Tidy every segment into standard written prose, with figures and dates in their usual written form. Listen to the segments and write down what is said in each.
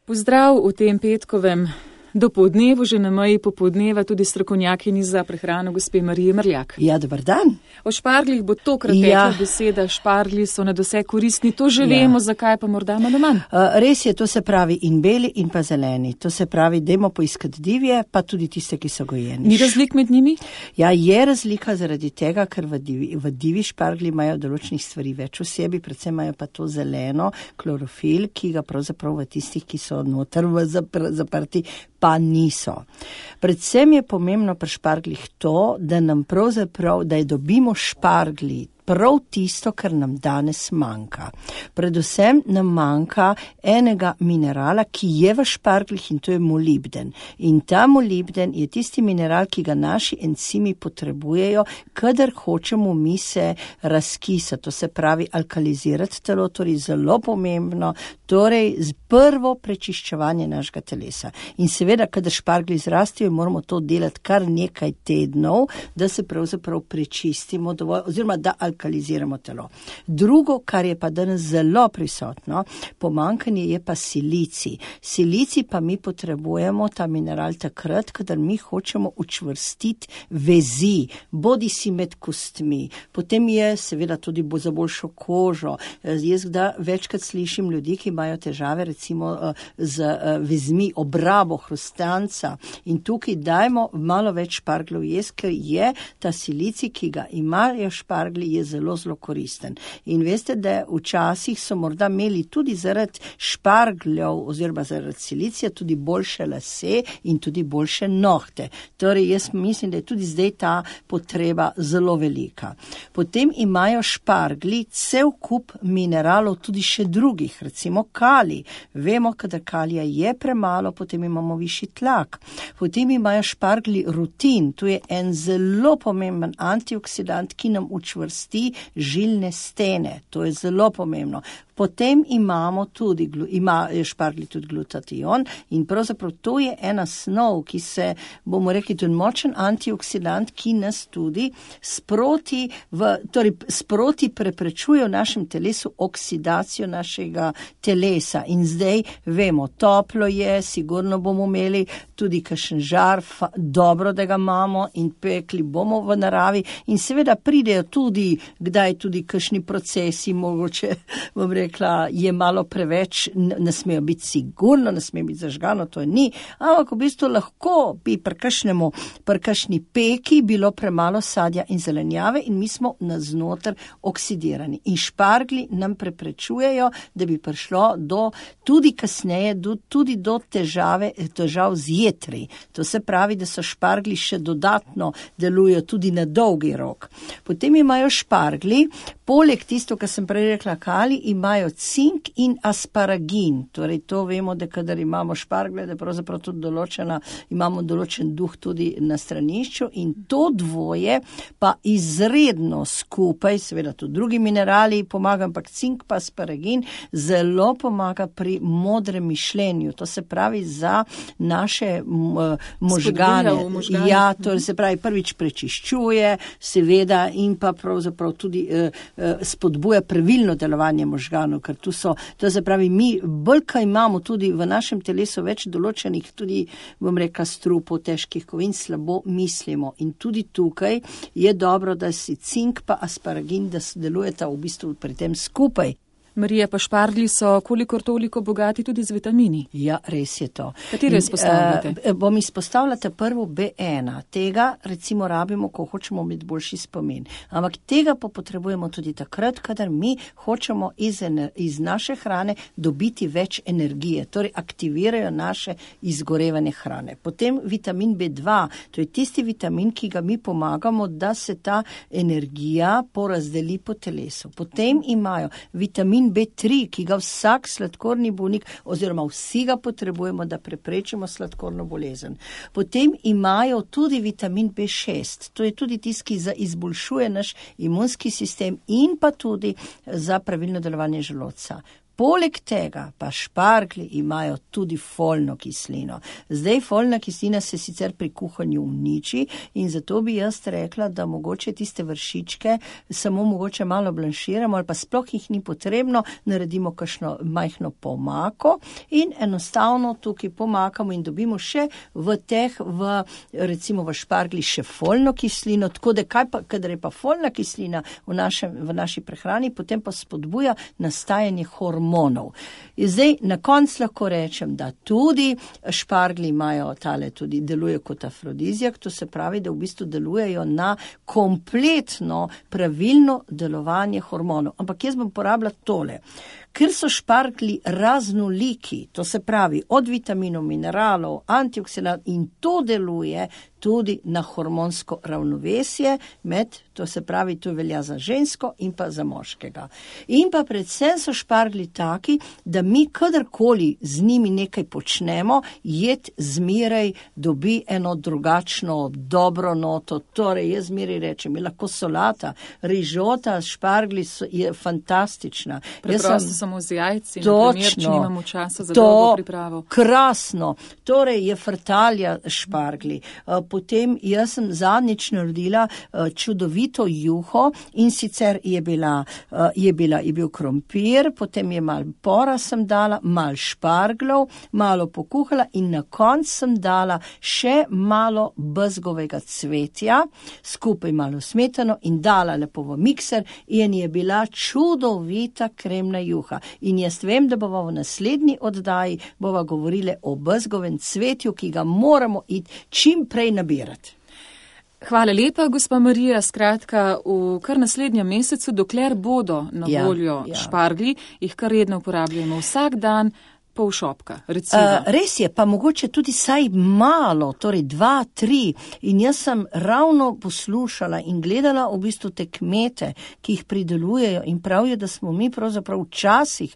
Pozdrav v tem petkovem dopoldnevu, že na meji popoldneva, tudi strokovnjakinji za prehrano gospe Marije Mrljak. Ja, dober dan. O šparglih bo tokrat tekla beseda, šparglji so nadvse koristni, to že vemo, zakaj pa morda malo manj. Res je, to se pravi in beli in pa zeleni. To se pravi, dajmo poiskati divje, pa tudi tiste, ki so gojeni. Ni razlik med njimi? Ja, je razlika zaradi tega, ker v divi špargli imajo določenih stvari več v sebi, predvsem imajo pa to zeleno, klorofil, ki ga pravzaprav v tistih, ki so noter zaprti, pa niso. Predvsem je pomembno pri šparglih to, da nam pravzaprav, da dobimo špargli prav tisto, kar nam danes manjka. Predvsem nam manjka enega minerala, ki je v šparglih, in to je molibden. In ta molibden je tisti mineral, ki ga naši encimi potrebujejo, kadar hočemo mi se razkisati, to se pravi alkalizirati telo, torej zelo pomembno, torej z prvo prečiščevanje našega telesa. In seveda, kadar špargli zrastijo, moramo to delati kar nekaj tednov, da se pravzaprav prečistimo dovolj, oziroma da alkaliziramo telo. Drugo, kar je pa danes zelo prisotno, pomanjkanje je pa silicij. Silicij pa mi potrebujemo ta mineral takrat, kadar mi hočemo učvrstiti vezi, bodi si med kostmi. Potem je seveda tudi za boljšo kožo. Jaz večkrat slišim ljudi, ki imajo težave recimo z vezmi, obrabo hrustanca, in tukaj dajmo malo več šparglov jesti, ker je ta silicij, ki ga imajo špargli, je zelo, zelo koristen. In veste, da včasih so morda imeli tudi zaradi špargljev oziroma zaradi silicija tudi boljše lase in tudi boljše nohte. Torej, jaz mislim, da je tudi zdaj ta potreba zelo velika. Potem imajo špargli cel kup mineralov, tudi še drugih, recimo kalij. Vemo, kadar kalija je premalo, potem imamo višji tlak. Potem imajo špargli rutin, to je en zelo pomemben antioksidant, ki nam učvrsti žilne stene, to je zelo pomembno. Potem ima špargli tudi glutatijon in pravzaprav to je ena snov, ki se, bomo rekli, tudi močen antioksidant, ki nas tudi sproti preprečuje v našem telesu oksidacijo našega telesa. In zdaj vemo, toplo je, sigurno bomo imeli tudi kakšen žar, dobro, da ga imamo, in pekli bomo v naravi in seveda pridejo tudi, kdaj tudi kakšni procesi, mogoče, bom rekla, je malo preveč, ne smejo biti sigurno, ne smejo biti zažgano, to ni, ampak v bistvu lahko bi pri kakšni peki bilo premalo sadja in zelenjave in mi smo naznoter oksidirani. In špargli nam preprečujejo, da bi prišlo tudi kasneje do težav z jetri. To se pravi, da so špargli še dodatno delujejo tudi na dolgi rok. Potem imajo špargli, poleg tisto, kar sem prej rekla, kalij, imajo cink in asparagin. Torej, to vemo, da kadar imamo špargle, da pravzaprav tudi imamo določen duh tudi na stranišču, in to dvoje pa izredno skupaj, seveda tudi drugi minerali pomagajo, ampak cink pa asparagin zelo pomaga pri modrem mišljenju. To se pravi za naše možgane. Ja, to se pravi, prvič prečiščuje, seveda, in pa pravzaprav tudi spodbuja pravilno delovanje možganov, ker to se pravi, mi bolj imamo tudi v našem telesu več določenih tudi, bom rekla, strupov, težkih kovin, slabo mislimo. In tudi tukaj je dobro, da si cink pa asparagin, da delujeta v bistvu pri tem skupaj. Marija, pa špargli so kolikor toliko bogati tudi z vitamini. Ja, res je to. Katere izpostavljate? Bom izpostavljala prvo B1. Tega recimo rabimo, ko hočemo imeti boljši spomin. Ampak tega pa potrebujemo tudi takrat, kadar mi hočemo iz naše hrane dobiti več energije, torej aktivirajo naše izgorevanje hrane. Potem vitamin B2, to je tisti vitamin, ki ga mi pomagamo, da se ta energija porazdeli po telesu. Potem imajo vitamin B3, ki ga vsak sladkorni bolnik oziroma vsi ga potrebujemo, da preprečimo sladkorno bolezen. Potem imajo tudi vitamin B6, to je tudi tisti, ki izboljšuje naš imunski sistem in pa tudi za pravilno delovanje želodca. Poleg tega pa šparglji imajo tudi folno kislino. Zdaj folna kislina se sicer pri kuhanju uniči in zato bi jaz rekla, da mogoče tiste vršičke samo mogoče malo blanširamo ali pa sploh jih ni potrebno, naredimo kakšno majhno pomako in enostavno tukaj pomakamo in dobimo še recimo v šparglji še folno kislino, tako da kadar je pa folna kislina v naši prehrani, potem pa spodbuja nastajanje hormonov. Zdaj, na koncu lahko rečem, da tudi šparglji imajo tudi deluje kot afrodizijak, to se pravi, da v bistvu delujejo na kompletno pravilno delovanje hormonov. Ampak jaz bom porabila tole. Ker so šparglji raznoliki, to se pravi od vitaminov, mineralov, antioksidantov in to deluje tudi na hormonsko ravnovesje to se pravi, to velja za žensko in pa za moškega. In pa predvsem so šparglji taki, da mi kadarkoli z njimi nekaj počnemo, jed zmeraj dobi eno drugačno, dobro noto. Torej, jaz zmeraj rečem, je lahko solata, rižota, šparglji je fantastična. Preprosto samo z jajci, naprimer, če nimamo časa za dolgo pripravo. Krasno. Torej, je frtalja šparglji. Potem jaz sem zadnjič naredila čudovito juho in sicer je bil krompir, potem je malo pora sem dala, malo šparglov, malo pokuhala in na koncu sem dala še malo bezgovega cvetja, skupaj malo smetano in dala lepo v mikser in je bila čudovita kremna juha. In jaz vem, da bova v naslednji oddaji bova govorili o bezgovem cvetju, ki ga moramo iti čim prej nabirati. Hvala lepa, gospa Marija. Skratka, v kar naslednjem mesecu, dokler bodo na voljo šparglji, jih kar redno uporabljamo vsak dan, pol šopka, recimo. Res je, pa mogoče tudi saj malo, torej 2, 3. In jaz sem ravno poslušala in gledala v bistvu te kmete, ki jih pridelujejo in pravijo, da smo mi pravzaprav včasih,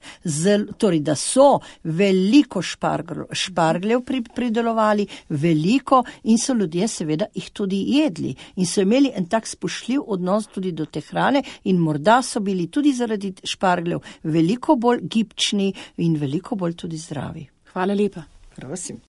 torej da so veliko špargljev pridelovali, veliko in so ljudje seveda jih tudi jedli. In so imeli en tak spoštljiv odnos tudi do te hrane in morda so bili tudi zaradi špargljev veliko bolj gibčni in veliko bolj tudi zdravi. Hvala lepa. Prosim.